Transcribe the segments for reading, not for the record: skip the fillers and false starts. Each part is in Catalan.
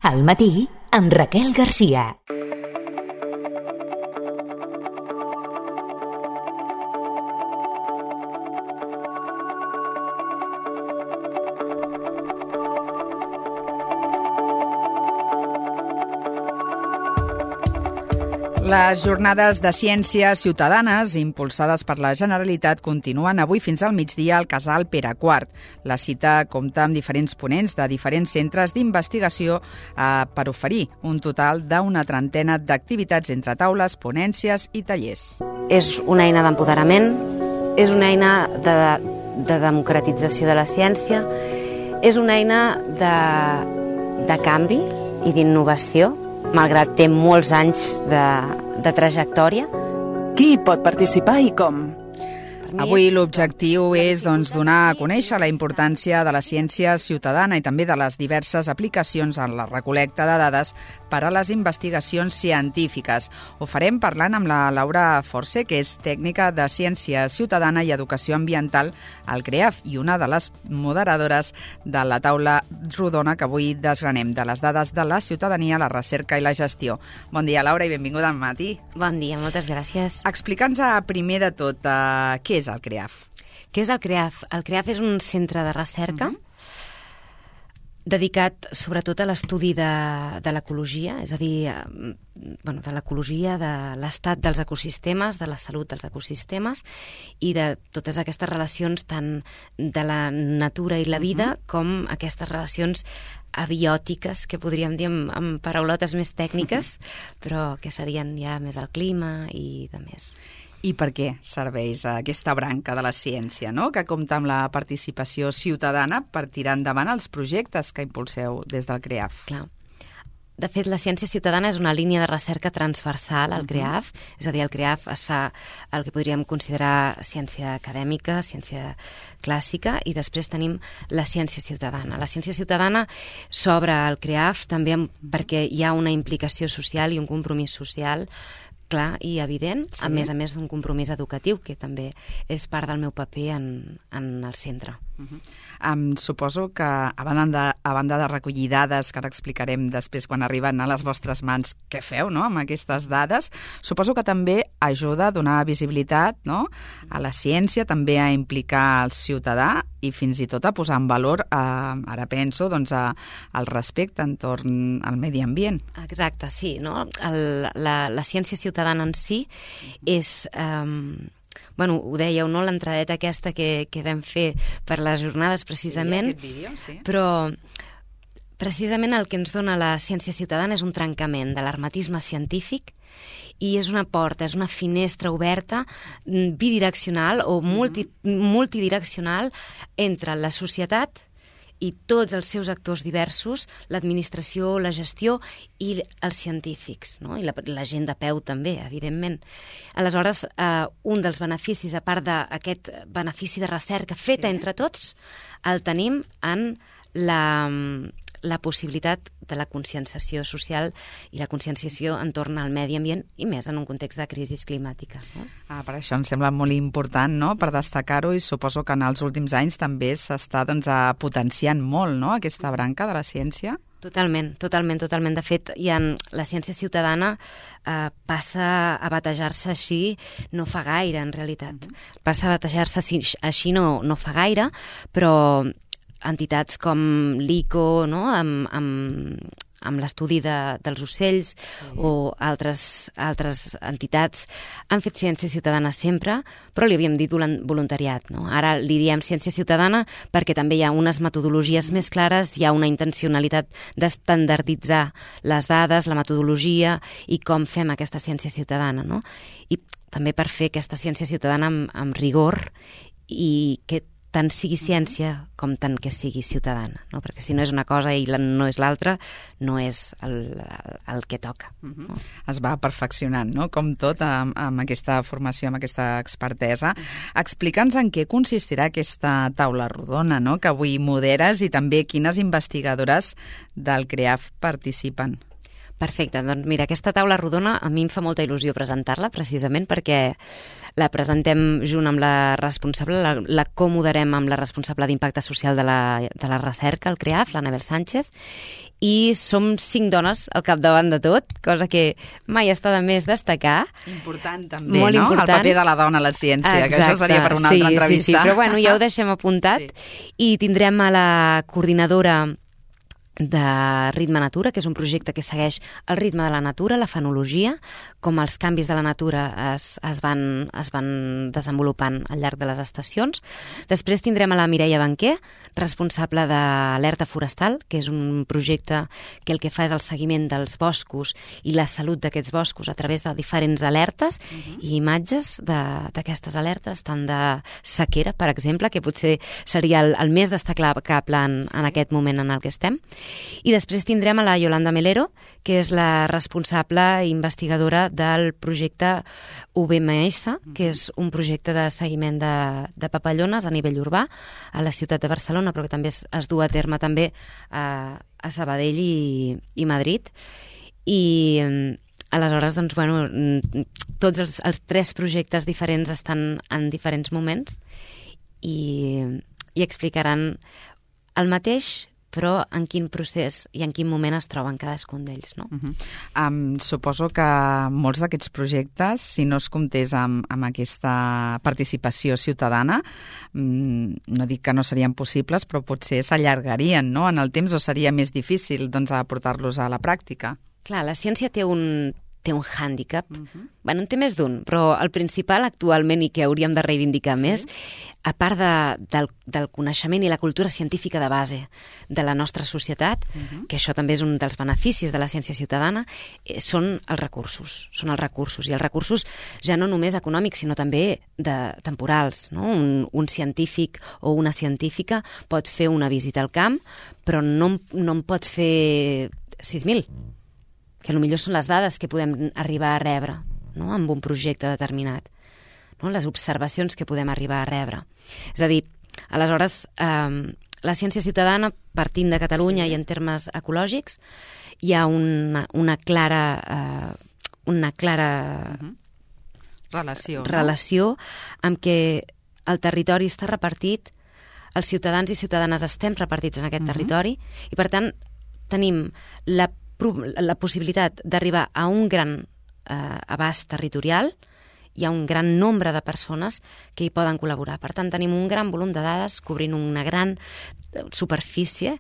Al matí, amb Raquel Garcia. Les jornades de ciències ciutadanes impulsades per la Generalitat continuen avui fins al migdia al Casal Pere IV. La cita compta amb diferents ponents de diferents centres d'investigació per oferir un total d'una trentena d'activitats entre taules, ponències i tallers. És una eina d'empoderament, és una eina de democratització de la ciència, és una eina de canvi i d'innovació, malgrat té molts anys de trajectòria. Qui hi pot participar i com? Avui l'objectiu és donar a conèixer la importància de la ciència ciutadana i també de les diverses aplicacions en la recol·lecta de dades per a les investigacions científiques. Ho farem parlant amb la Laura Force, que és tècnica de ciència ciutadana i educació ambiental al CREAF i una de les moderadores de la taula rodona que avui desgranem, de les dades de la ciutadania, la recerca i la gestió. Bon dia, Laura, i benvinguda al matí. Bon dia, moltes gràcies. Explica'ns primer de tot què és el CREAF. Què és el CREAF? El CREAF és un centre de recerca dedicat sobretot a l'estudi de l'ecologia, és a dir, de l'ecologia, de l'estat dels ecosistemes, de la salut dels ecosistemes i de totes aquestes relacions tant de la natura i la vida com aquestes relacions abiòtiques, que podríem dir amb paraulotes més tècniques, però que serien ja més el clima i de més. I per què serveix aquesta branca de la ciència, no? Que compta amb la participació ciutadana per tirar endavant els projectes que impulseu des del CREAF? Clar. De fet, la ciència ciutadana és una línia de recerca transversal al CREAF, és a dir, al CREAF es fa el que podríem considerar ciència acadèmica, ciència clàssica, i després tenim la ciència ciutadana. La ciència ciutadana s'obre al CREAF també perquè hi ha una implicació social i un compromís social clar i evident, sí. A més d'un compromís educatiu, que també és part del meu paper en el centre. Suposo que a banda de recollir dades, que ara explicarem després quan arriben a les vostres mans què feu, no?, amb aquestes dades, suposo que també ajuda a donar visibilitat, no?, a la ciència, també a implicar el ciutadà i fins i tot a posar en valor, ara penso, el respecte entorn al medi ambient. Exacte, sí, no? La ciència ciutadana en si és... ho dèieu, no?, l'entradeta aquesta que vam fer per les jornades precisament, sí, aquest vídeo, sí. Però precisament el que ens dona la ciència ciutadana és un trencament de l'hermetisme científic i és una porta, és una finestra oberta bidireccional o multidireccional entre la societat i tots els seus actors diversos, l'administració, la gestió i els científics, no? I la gent de peu també, evidentment. Aleshores, un dels beneficis, a part d'aquest benefici de recerca feta entre tots, el tenim en la possibilitat de la conscienciació social i la conscienciació entorn al medi ambient i més en un context de crisi climàtica. No? Per això em sembla molt important, no?, per destacar-ho, i suposo que en els últims anys també s'està potenciant molt, no?, aquesta branca de la ciència. Totalment. De fet, la ciència ciutadana passa a batejar-se així no fa gaire, en realitat. Passa a batejar-se així no fa gaire, però entitats com l'ICO, no?, amb l'estudi dels ocells, o altres entitats han fet ciència ciutadana sempre, però li havíem dit voluntariat, no? Ara li diem ciència ciutadana perquè també hi ha unes metodologies més clares, hi ha una intencionalitat d'estandarditzar les dades, la metodologia i com fem aquesta ciència ciutadana, no? I també per fer aquesta ciència ciutadana amb rigor i que tant sigui ciència com tant que sigui ciutadana, no? Perquè si no és una cosa i no és l'altra, no és el que toca. No? Es va perfeccionant, no?, com tot, amb aquesta formació, amb aquesta expertesa. Explica'ns en què consistirà aquesta taula rodona, no?, que avui moderes, i també quines investigadores del CREAF participen. Perfecte, doncs mira, aquesta taula rodona a mi em fa molta il·lusió presentar-la, precisament perquè la presentem junt amb la responsable, la comoderem amb la responsable d'impacte social de la recerca, el CREAF, l'Anabel Sánchez, i som 5 dones al capdavant de tot, cosa que mai està de més destacar. Important també, molt no? Important. El paper de la dona a la ciència, exacte, que això seria per una altra entrevista. Sí, però bueno, ja ho deixem apuntat. Sí. I tindrem a la coordinadora de Ritme Natura, que és un projecte que segueix el ritme de la natura, la fenologia, com els canvis de la natura es van desenvolupant al llarg de les estacions. Després tindrem a la Mireia Banquer, responsable d'Alerta Forestal, que és un projecte que el que fa és el seguiment dels boscos i la salut d'aquests boscos a través de diferents alertes i imatges d'aquestes alertes, tant de sequera, per exemple, que potser seria el més destacable en aquest moment en el que estem. I després tindrem a la Yolanda Melero, que és la responsable investigadora del projecte UBMS, que és un projecte de seguiment de papallones a nivell urbà a la ciutat de Barcelona, però que també es du a terme també a Sabadell i Madrid. I aleshores, doncs, bueno, tots els 3 projectes diferents estan en diferents moments i explicaran el mateix, però en quin procés i en quin moment es troben cadascun d'ells, no? Suposo que molts d'aquests projectes, si no es comptés amb aquesta participació ciutadana, no dic que no serien possibles, però potser s'allargarien, no?, en el temps, o seria més difícil, doncs, aportar-los a la pràctica. Clar, la ciència té un hàndicap. Bueno, en té més d'un, però el principal actualment i que hauríem de reivindicar més, a part del coneixement i la cultura científica de base de la nostra societat, que això també és un dels beneficis de la ciència ciutadana, són els recursos. Són els recursos, i els recursos ja no només econòmics, sinó també temporals, no? Un científic o una científica pot fer una visita al camp, però no en pots fer 6.000, que potser són les dades que podem arribar a rebre, no?, amb un projecte determinat, no?, les observacions que podem arribar a rebre. És a dir, aleshores, la ciència ciutadana, partint de Catalunya i en termes ecològics, hi ha una clara relació amb què el territori està repartit, els ciutadans i ciutadanes estem repartits en aquest territori, i per tant tenim la possibilitat d'arribar a un gran abast territorial i a un gran nombre de persones que hi poden col·laborar. Per tant, tenim un gran volum de dades cobrint una gran superfície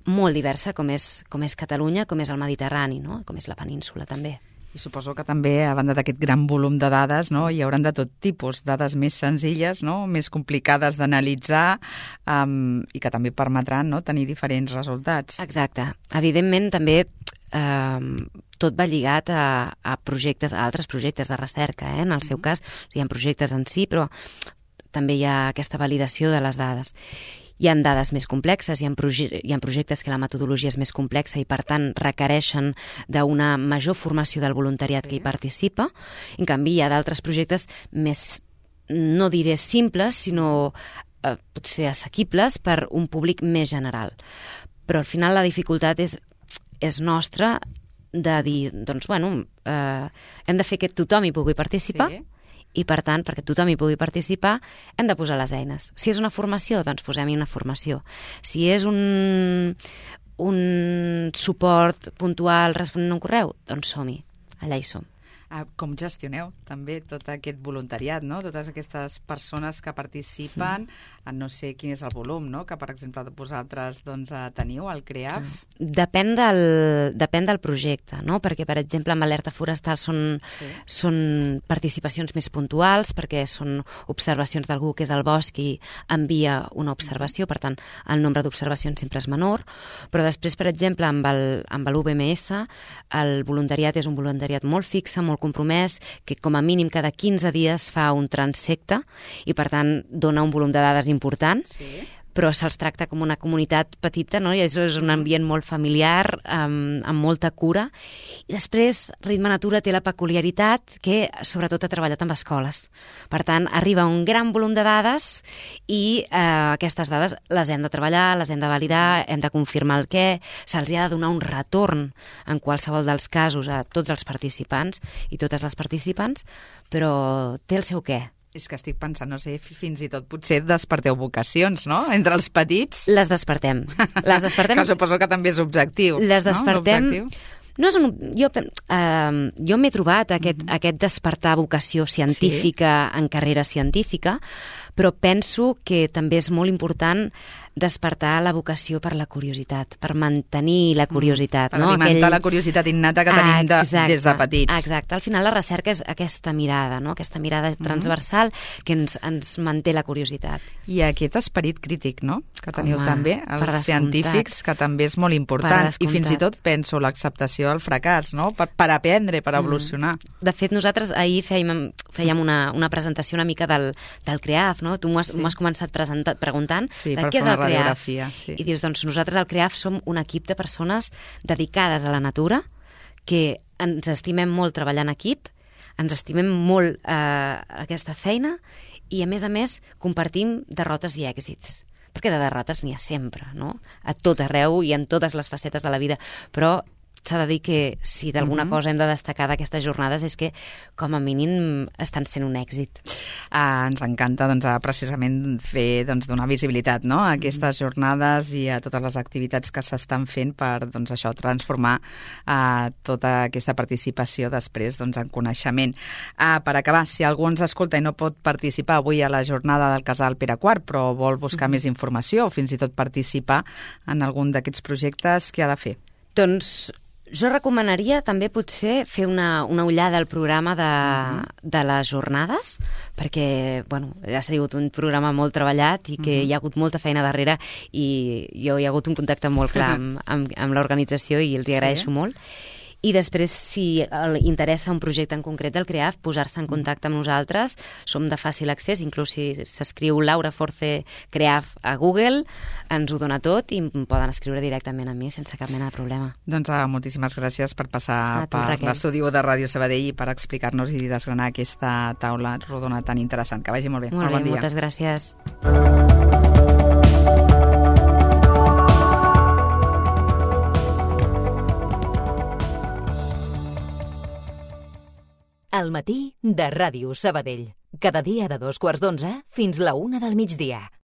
molt diversa, com és Catalunya, com és el Mediterrani, no?, com és la península també. I suposo que també, a banda d'aquest gran volum de dades, no, hi hauran de tot tipus, dades més senzilles, no, més complicades d'analitzar, i que també permetran, no, tenir diferents resultats. Exacte. Evidentment, també tot va lligat a projectes, a altres projectes de recerca, en el seu cas. Hi ha projectes en si, però també hi ha aquesta validació de les dades. Hi ha dades més complexes, hi ha projectes que la metodologia és més complexa i, per tant, requereixen d'una major formació del voluntariat que hi participa. En canvi, hi ha d'altres projectes més, no diré simples, sinó potser assequibles per un públic més general. Però al final la dificultat és nostra de dir, doncs, bueno, hem de fer que tothom hi pugui participar, i, per tant, perquè tothom hi pugui participar, hem de posar les eines. Si és una formació, doncs posem-hi una formació. Si és un suport puntual responent a un correu, doncs som-hi, allà hi som. Com gestioneu també tot aquest voluntariat, no? Totes aquestes persones que participen, no sé quin és el volum, no?, que, per exemple, vosaltres teniu al CREAF? Depèn del projecte, no? Perquè, per exemple, amb Alerta Forestal són participacions més puntuals, perquè són observacions d'algú que és al bosc i envia una observació, per tant, el nombre d'observacions sempre és menor, però després, per exemple, amb l'UBMS, el voluntariat és un voluntariat molt fixe, molt compromès, que com a mínim cada 15 dies fa un transecte i, per tant, dona un volum de dades important, però se'ls tracta com una comunitat petita, no? I és un ambient molt familiar, amb molta cura. I després, Ritme Natura té la peculiaritat que, sobretot, ha treballat amb escoles. Per tant, arriba un gran volum de dades i aquestes dades les hem de treballar, les hem de validar, hem de confirmar el què, se'ls ha de donar un retorn en qualsevol dels casos a tots els participants i totes les participants, però té el seu què. És que estic pensant, no sé, fins i tot potser desperteu vocacions, no?, entre els petits. Les despertem. Que suposo que també és objectiu. Les despertem. No és jo m'he trobat aquest despertar vocació científica en carrera científica, però penso que també és molt important despertar la vocació per la curiositat, per mantenir la curiositat. Per alimentar la curiositat innata que tenim des de petits. Exacte. Al final la recerca és aquesta mirada, no? Aquesta mirada transversal que ens manté la curiositat. I aquest esperit crític, no?, que teniu també, els científics, que també és molt important. I fins i tot penso l'acceptació del fracàs, no?, per aprendre, per evolucionar. De fet, nosaltres ahir fèiem una presentació una mica del CREAF, no? Tu m'ho has començat preguntant de què és el CREAF. Sí. I dius, doncs nosaltres al CREAF som un equip de persones dedicades a la natura, que ens estimem molt treballar en equip, ens estimem molt aquesta feina i, a més, compartim derrotes i èxits. Perquè de derrotes n'hi ha sempre, no?, a tot arreu i en totes les facetes de la vida, però s'ha de dir que si d'alguna cosa hem de destacar d'aquestes jornades és que, com a mínim, estan sent un èxit. Ens encanta precisament fer donar visibilitat, no?, a aquestes jornades i a totes les activitats que s'estan fent per això, transformar tota aquesta participació després en coneixement. Per acabar, si algú ens escolta i no pot participar avui a la jornada del Casal Pere IV, però vol buscar més informació o fins i tot participar en algun d'aquests projectes, què ha de fer? Doncs jo recomanaria també potser fer una ullada al programa de les jornades, perquè ha sigut un programa molt treballat i que hi ha hagut molta feina darrere i hi ha hagut un contacte molt clar amb l'organització i els hi agraeixo molt. I després, si interessa un projecte en concret del CREAF, posar-se en contacte amb nosaltres. Som de fàcil accés, inclús si s'escriu Laura Force CREAF a Google, ens ho dona tot i em poden escriure directament a mi sense cap mena de problema. Doncs moltíssimes gràcies per passar per l'estudi de Ràdio Sabadell i per explicar-nos i desgranar aquesta taula rodona tan interessant. Que vagi molt bé. Molt bé, moltes gràcies. Al matí de Ràdio Sabadell. Cada dia de 2:15 fins la 1 del migdia.